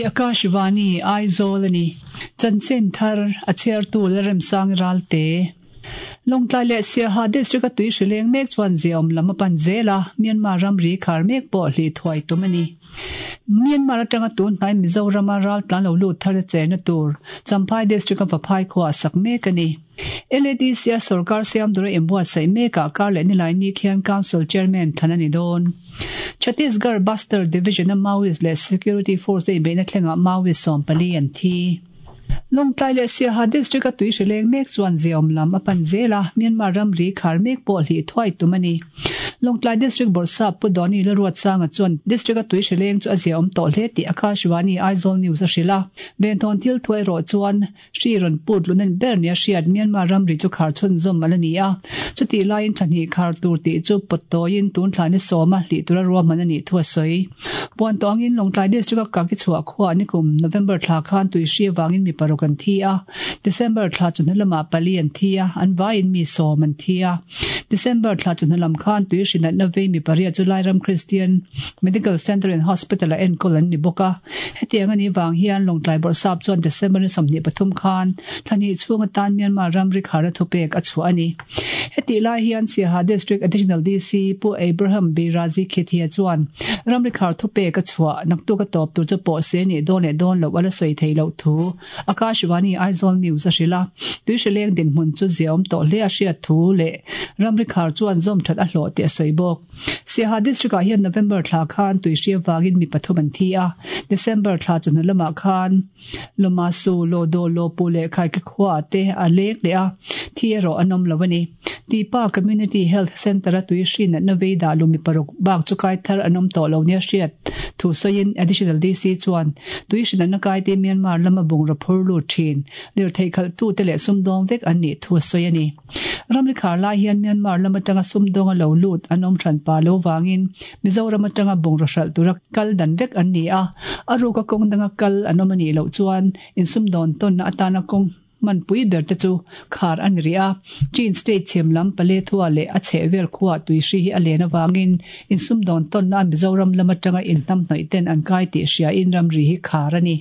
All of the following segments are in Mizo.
Hei hi Akashvani, Aizawl a ni. Chanchin thar a chhiartu Lalremsangi Ralte. Lawngtlai leh Siaha District-a tui hri leng mek chuan ziaawm lam a pan zel a, Myanmar ramri khar mek pawh hlih thuai tum a ni. Myanmar atanga tun hnai Mizorama raltlan lo lut thar a chenna tur Champhai District-a Vaphai khuaah sak mek a ni. LADC-a sorkar siam tura inbuatsaih mekah kar leh nilai ni khian Council Chairman thlan a ni dawn. Chhattisgarh Bastar Division-a Maoist leh Security Force te inbeihna thlengah Maoist 14 an thi. Lawngtlai leh Siaha District-a tui hri leng mek chuan ziaawm lam a pan zel a, Myanmar ramri khar mek pawh hlih thuai tum a ni. Lawngtlai District Bawrhsap Pu Donny Lalruatsanga chuan District-a tui hri leng chu a ziaawm tawh hle tih Akashvani Aizawl News a hrilh a, Venthawn thil thu erawh chuan Hri rawn put luhna ber nia hriat Myanmar ramri chu khar chhunzawm a la ni a. Chutih laiin thla hnih khar tur tih chu pawt tawiin tun thla ni sawma hlih tura ruahman a nih thu a sawi. Puan tawh angin Lawngtlai District-a Kaki chhuah khuaah nikum November thla khan tui hri avangin mi paruk an thi a, December thla chawhnu lamah pali an thi a, an vaiin mi sawm an thi a. December thla chawhnu lam khan tui hri natna vei mi pariat chu Lairam Christian Medical Centre and Hospital-ah enkawl an ni bawk a. Hetiang a nih vang hian Lawngtlai Bawrhsap chuan December ni 23 khan thla hnih chhung atan Myanmar ramri kharna thupek a chhuah a ni. Hetih lai hian Siaha District Additional DC Pu Abraham Beirazi Khethia chuan ramri khar thupek a chhuah naktuk a tawp tur chu pawh se nih dawn leh dawn loh a la sawi theih loh thu Akashvani Aizawl News a hrilh a. Tuihrileng dinhmun chu ziaawm tawh hle a hriat thu leh ramri khar chuan zawm that a hlawh tih a sawi bawk. Siaha District ah hian November thla khan tuihri avangin mi pathum an thi a, December thla chawhnu lamah khan Lomasu, Lodo, Lopu leh Khaike khua ah te a leng leh a, thi erawh an awm lo a ni. Tipa Community Health Centre a tuihri natna vei dah lu mi paruk bak chu kai thar an awm tawh lo nia hriat thu sawiin Additional DC chuan tuihri natna kaite Myanmar lama bungraw phur lut thin lirthei khalhtute leh sumdawng vek an nih thu a sawi a ni. Ramri khar lai hian Myanmar lam atanga sumdawnga lo lut an awm hran pa lo vangin Mizoram atanga bungraw hralh tura kal dan vek an ni a, a ruka kawng danga kal an awm a nih loh chuan insumdawn tawnna atana kawng hmanpui ber te chu khar a ni rih a. Chin State chhem lam Paletwa leh a chhehvel khuaa tuihri hi a len avangin insumdawn tawnna Mizoram lam atanga inhnamhnawih ten an kai tih hriain ramri hi khar a ni.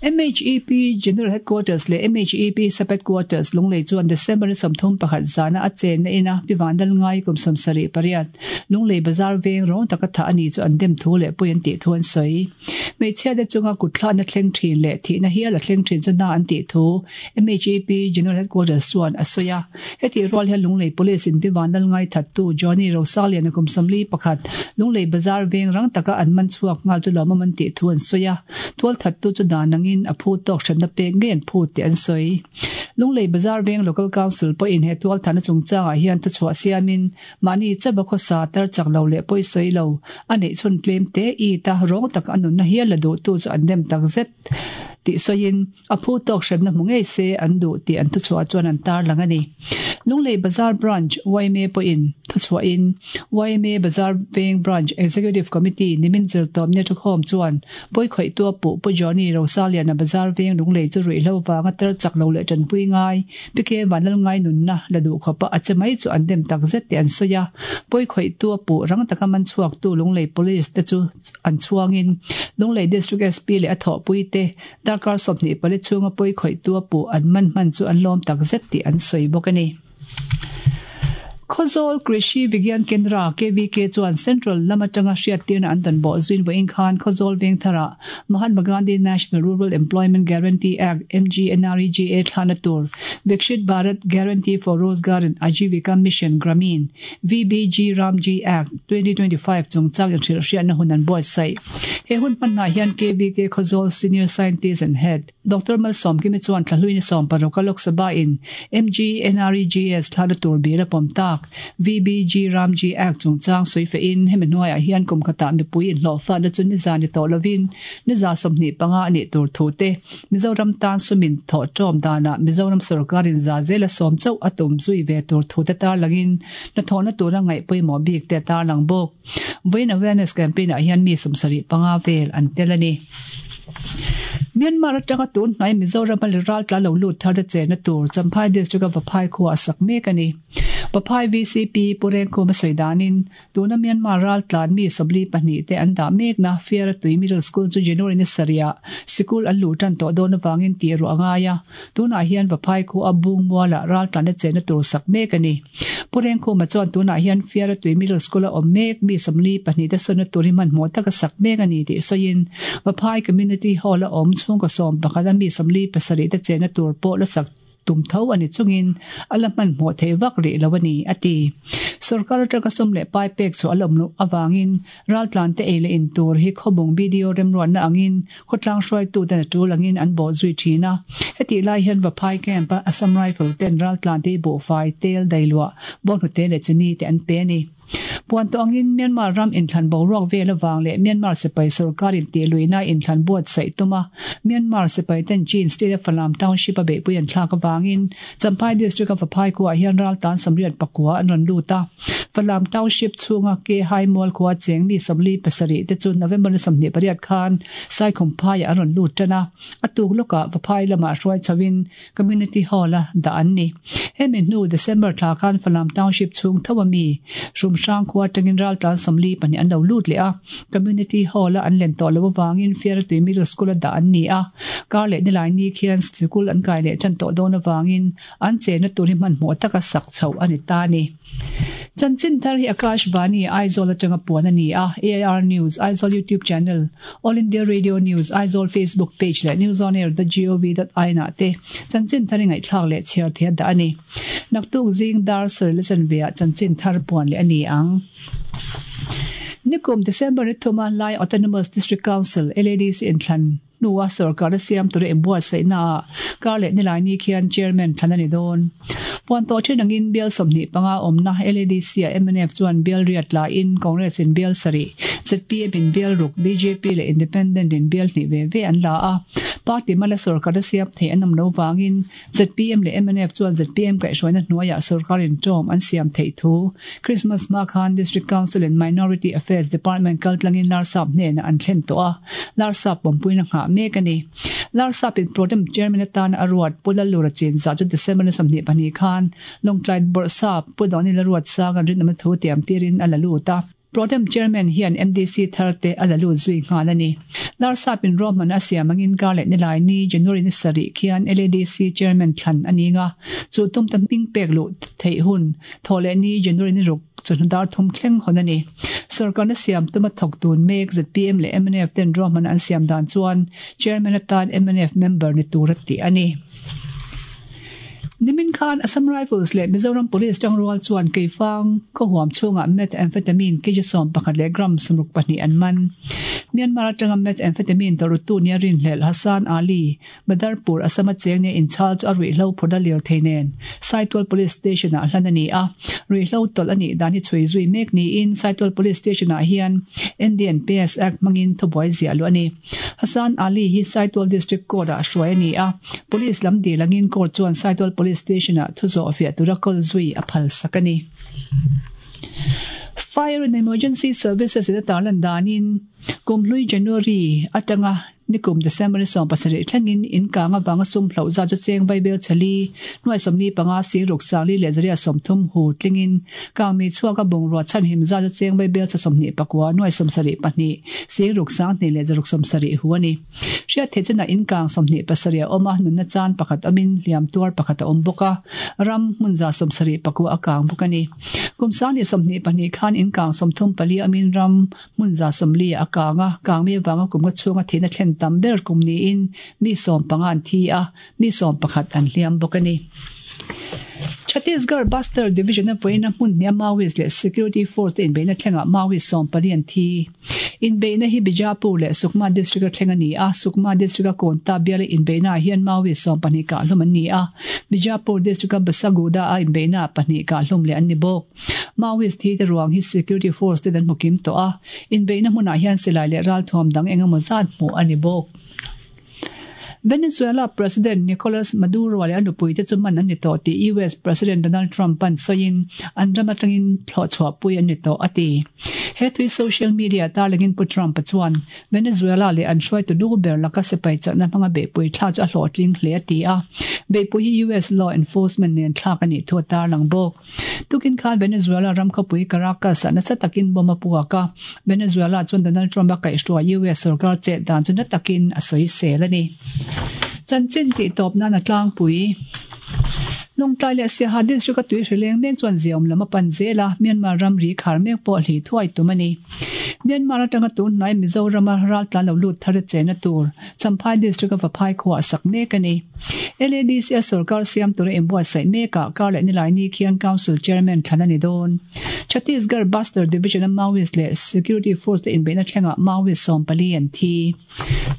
MHEP General Headquarters leh MHEP Sub-Headquarters Lunglei chuan December ni 31 zana a chenna ina Pi Vandal Ngai kum 78 Lunglei Bazar veng rawng taka thah a ni chu an dem thu leh pui an tih thu an sawi. Hmeichhia te chunga kutthlakna thleng thin leh thihna hial a thleng thin chu hna an tih thu MHEP General Headquarters chuan a sawi a. Hetih rual hian Lunglei Police in Pi Vanlal ngaithattu Johnny Rosalian-a kum 41 Lunglei Bazar veng rang taka an man chhuak nghal chu lawmawm an tih thu an sawi a, tualthattu chu dan angin a phu tawk hremna pek ngei an phut tih an sawi. Lunglei Bazar veng Local Council pawhin he tualthatna chungchangah hian thuchhuah siamin mahni chauha khawsa tar chak lo leh pawi sawi lo a neih chhun tlem te it a rawng taka a nunna hial la duhtu chu an dem takzet tih sawiin A phu tawk hremna hmu ngei se an duh tih an thuchhuah chuan an tarlang a ni. Lunglei Bazar Branch yma pawhin thuchhuahin yma Bazar Veng Branch Executive Committee nimin zirtawpni thukhawm chuan pawikhawihtua puh Pu Johnny Rosaliana Bazar Veng Lunglei chu ruihhlo vanga tar chak lo leh tanpui ngai PK Vanlalngai nunna la duh khawpa a che mai chu an dem takzet tih an sawi a. Pawikhawihtua puh rang taka man chhuaktu Lunglei Police te chu an chhuangin Lunglei District SP leh a thawhpuite Darkar 24 chhunga pawi khawihtu a puh an man hman chu an lawm tak zet tih an sawi bawk a ni. Khawzawl Krishi Vigyan Kendra, KVK, chuan Central lam atanga hriattirna an dan bawh zuin vawiin khan Khawzawl Vengtharah Mahatma Gandhi National Rural Employment Guarantee Act, MGNREGA, thlahna tur Vikshit Bharat Guarantee for Rozgar and Ajeevika Mission Grameen, VBG Ramji Act, 2025 chungchang inhrilhhriatna hun an buatsaih. He hun hmanah hian KVK Khawzawl Senior Scientist and Head, Doctor Malsawmkimi chuan thlahluin 16 a Lok Sabha in MGNREGS thlahna tur bil a pawm tak VBG Ramji Act chungchang sawi fehin hemi hnuaiah hian kum khatah mipui inhlawhfatna chu niza ni tawh lovin niza 25 a nih tur thu te Mizoram tan sumin thawh ṭawm danah Mizoram sorkarin za zela sawm chauh a tum zui ve tur thute tarlangin hnathawhna tura ngaih pawimawh bik te a tarlang bawk. Vawiin Awareness Campaign ah hian mi 75 vel an tel a ni. Myanmar atanga tun hnai Mizoram a ral tla lo lut thar te chenna tur Champhai District a Vaphai khua a sak mek a ni. Vaphai vcp Pu Rengkhuma sawi danin tuna Myanmar raltlan mi 42 te an dah mekna Fiaratui Middle School chu January ni sarih sikul an luh tan tawh dawn avangin tih ruah a ngai a, tunah hian Vaphai khua Bungmualah raltlanna chenna tur sak mek a ni. Pu Rengkhuma chuan tunah hian Fiaratui Middle School a awm mek mi 42 te sawnna tur hi hmanhmawh taka sak mek a ni tih sawiin Vaphai Community Hall a awm chhungkaw 11 a mi 47 te chenna tur pawh la sak tum tho a ni chungin a la hmanhmawh theih vak rih lo a ni, a ti. Sorkar atanga sum leh pai pek chhuah a la awm loh avangin raltlante ei leh in tur hi khawbung BDO remruatna angin khawtlang hruaituten a tul angin an bawh zui thin a. Hetih lai hian Vaphai Camp-a Assam Rifle ten raltlante hi buhfai, tel, dailuah, bawnghnute leh chini te an pe a ni. Puan tawh angin Myanmar ram inthlan boruak vel avang leh Myanmar sipai sorkar intihluihna inthlan buatsaih tuma Myanmar sipai ten Chin State a Falam Township a beihpui an thlak avangin Champhai District a Vaphai khuaah hian raltan 84 an rawn lut a. Falam Township chhunga Ke Hai Mual khua cheng mi 47 te chu November ni 28 khan Saikhumphaiah an rawn lut tan a. A tuk lawkah Vaphai lamah hruai chhoin Community Hall a dah an ni. Hemi hnu December thla khan Falam Township chhung tho a mi Hrumhrang khua atangin raltlan 42 an lo lut leh a. Community Hall a an len tawh loh avangin Fiaratui Middle School a dah an ni a. Kar leh nilai ni khian sikul an kai leh tan tawh dawn avangin an chenna tur hi hmanhmawh taka sak chhoh a ni ta a ni. Chanchin thar hi Akash Vani Aizawl atanga puan a ni a, AIR News, Aizawl YouTube Channel, All India Radio News, Aizawl Facebook Page leh newsonair.gov.in ah te chanchin thar i ngaihthlak leh chhiar thei a dah a ni. Naktuk zing dar sarih la chanve ah chanchin thar puan leh a ni ang. Nikum December ni thuma Lai Autonomous District Council, LADC, inthlan hnua sorkar a siam tura inbuatsaihna ah kar leh nilai ni khian Chairman thlan a ni dawn. Puan tawh then angin bial 25 awmna LADC ah mnf chuan bial riat laiin Congress in bial sarih, zpm in bial ruk, bjp leh Independent in bial hnih ve ve an la a. Party mala sorkar a siam theih an awm lo vangin zpm leh mnf chuan zpm kaihhruaina hnuaiah sorkar intawm an siam theih thu Christmas hma khan District Council and Minority Affairs Department kaltlangin Larsap hnenah an thlen tawh a, Larsap pawmpuina nghah mek a ni. Larsap in Protem Chairman atana a ruat Pu Lallura Chinzah chu December ni 22 khan Lawngtlai Bawrhsap Pu Donila Ruatsanga rinawmna thu tiam tirin a la lut a. Protem Chairman hian MDC thar te a la lut zui nghal a ni. Larsap in ruahman a siam angin kar leh nilai ni January ni sarih khian LADC Chairman thlan a ning a, chu tum ta hming pek luh theih hun thawh leh ni January ni ruk chawhnu dar thum thleng hawn a ni. Sorkarna siam tuma thawk tun mek zpm leh mnf ten ruahman an siam dan chuan Chairman atan mnf member ni tur a tih a ni. Nimin khan Assam Rifles leh Mizoram Police tangrual chuan Keifang khawhuam chhungah methamphetamine kg 11 leh gram 62 an man. Myanmar atanga methamphetamine tawrhtu nia rinhlelh Hassan Ali, Badarpur, Assam a cheng nia inchhal chu a ruihhlo phurh a lir thei nen Saitual Police Station ah hlan a ni a. Ruihhlo tawlh a nih dan hi chhui zui mek niin Saitual Police Station ah hian NDNPS Act hmangin thubuai ziah luh a ni. Hassan Ali hi Saitual District Court ah hruai a ni a, Police lam dil angin Court chuan Saitual Police Station ah thu zawh fiah tura kawl zui a phal sak a ni. Fire and Emergency Services in a tarlan danin kum hlui January atanga nikum December ni 17 thlengin in kang avanga sum hloh zat chu cheng vaibel chali nuai 45 sing ruk sangli leh zaria 30 hu tlingin kang mi chhuak a bungrua chhan him zat chu cheng vaibel cha 29 nuai 72 sing ruk sang hnih leh zaruk 70 hu a ni. Hriat theih chenah in kang 27 a awm a, nunna chan pakhat awmin hliam tuar pakhat a awm bawk a, ram hmun za 79 a kang bawk a ni. Kum sang leh 22 khan in kang 34 awmin ram hmun za 40 a kang a, kang mi avanga kum nga chhunga thihna thlen tam ber kum niin mi 15 an thi a, mi 11 an hliam bawk a ni. Chhattisgarh Bastar Division a vawiina hmun hniah Maoist leh Security Force te inbeihna thlengah Maoist 14 an thi. Inbeihna hi Bijapur leh Sukma District a thleng a ni a, Sukma District a Konta biala inbeihnaah hian Maoist 12 kahhlum an ni a, Bijapur District a Basaguda a inbeihnaah pahnih kahhlum leh an ni bawk. Maoist thi te ruang hi Security Force ten an hmu kim tawh a, inbeihna hmunah hian silai leh ralthuam dang engemaw zat hmuh a ni bawk. Venezuela President Nicolas Maduro leh a nupuite chu man an ni tawh tih US President Donald Trump-a'n sawiin an ram atangin thlawhchhuahpui an ni tawh a ti. He tui social media tarlangin Pu Trump-a chuan Venezuela leh an hruaitu lu ber laka sipai chakna hmanga beihpui thla chu a hlawhtling hle a ti a, beihpui hi US law enforcement nen thlak a nih thu a tarlang bawk. Tukin khan Venezuela ram khawpui Caracas-ah nasa takin bomb a puak a, Venezuela chuan Donald Trump a kaihhruai US sorkar chet dan chu na takin a sawisel a ni. Chanchin tih tawp nan a tlangpui. Lawngtlai leh Siaha District a tui hrileng mek chuan ziaawm lam a pan zel a, Myanmar ramri khar mek pawh a hlih thuai tum a ni. Myanmar atanga tun hnai Mizorama raltlan lo lut thar a chena tur Champhai District a Vaphai khuaah a sak mek a ni. LADC a sorkar siam tura inbuatsaih mekah kar leh nilai ni khian Council Chairman thlan a ni dawn. Chhattisgarh Bastar Division a Maoist leh Security Force te inbeihna thlengah Maoist 14 an thi.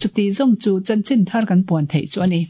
Chuti zawng chu chanchin thar kan puan theih chu a ni.